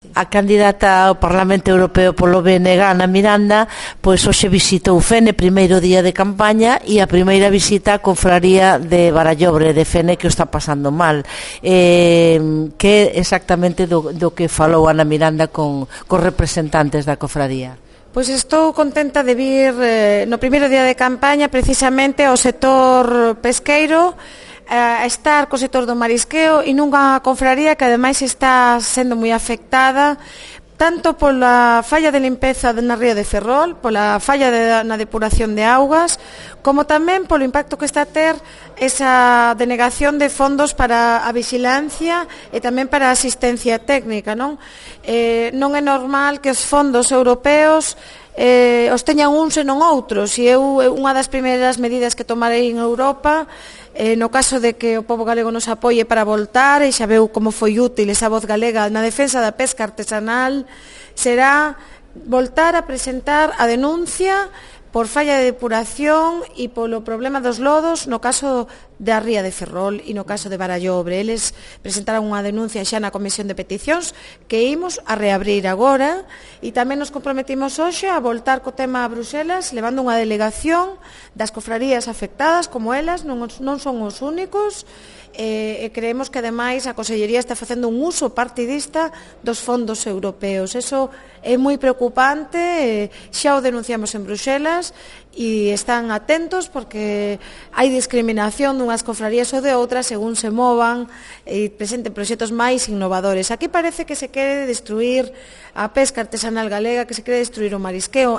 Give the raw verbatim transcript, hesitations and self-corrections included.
A candidata ao Parlamento Europeo polo B N G, Ana Miranda, pois hoxe visitou Fene, primeiro día de campaña, e a primeira visita á confraría de Barallobre de Fene, que o está pasando mal. Eh, que exactamente do, do que falou Ana Miranda con, con representantes da confraría? Pois estou contenta de vir eh, no primeiro día de campaña precisamente ao sector pesqueiro, a estar co sector do marisqueo e nunha confraría que ademais está sendo moi afectada tanto pola falla de limpeza na ría de Ferrol, pola falla de, na depuración de augas, como tamén polo impacto que está a ter esa denegación de fondos para a vigilancia e tamén para a asistencia técnica, non? Eh, non é normal que os fondos europeos eh, os teñan uns e non outros, e eu, unha das primeiras medidas que tomarei en Europa, Eh, no caso de que o pobo galego nos apoie para voltar, e xa veu como foi útil esa voz galega na defensa da pesca artesanal, será voltar a presentar a denuncia por falla de depuración e polo problema dos lodos no caso da ría de Ferrol e no caso de Barallobre. Eles presentaron unha denuncia xa na Comisión de Peticións que imos a reabrir agora, e tamén nos comprometimos hoxe a voltar co tema a Bruxelas levando unha delegación das cofrarías afectadas, como elas non, non son os únicos, e, e creemos que ademais a Consellería está facendo un uso partidista dos fondos europeos. Eso é moi preocupante, e xa o denunciamos en Bruxelas e están atentos porque hai discriminación dunhas confrarías ou de outras según se movan e presenten proxectos máis innovadores. Aquí parece que se quere destruir a pesca artesanal galega, que se quere destruir o marisqueo.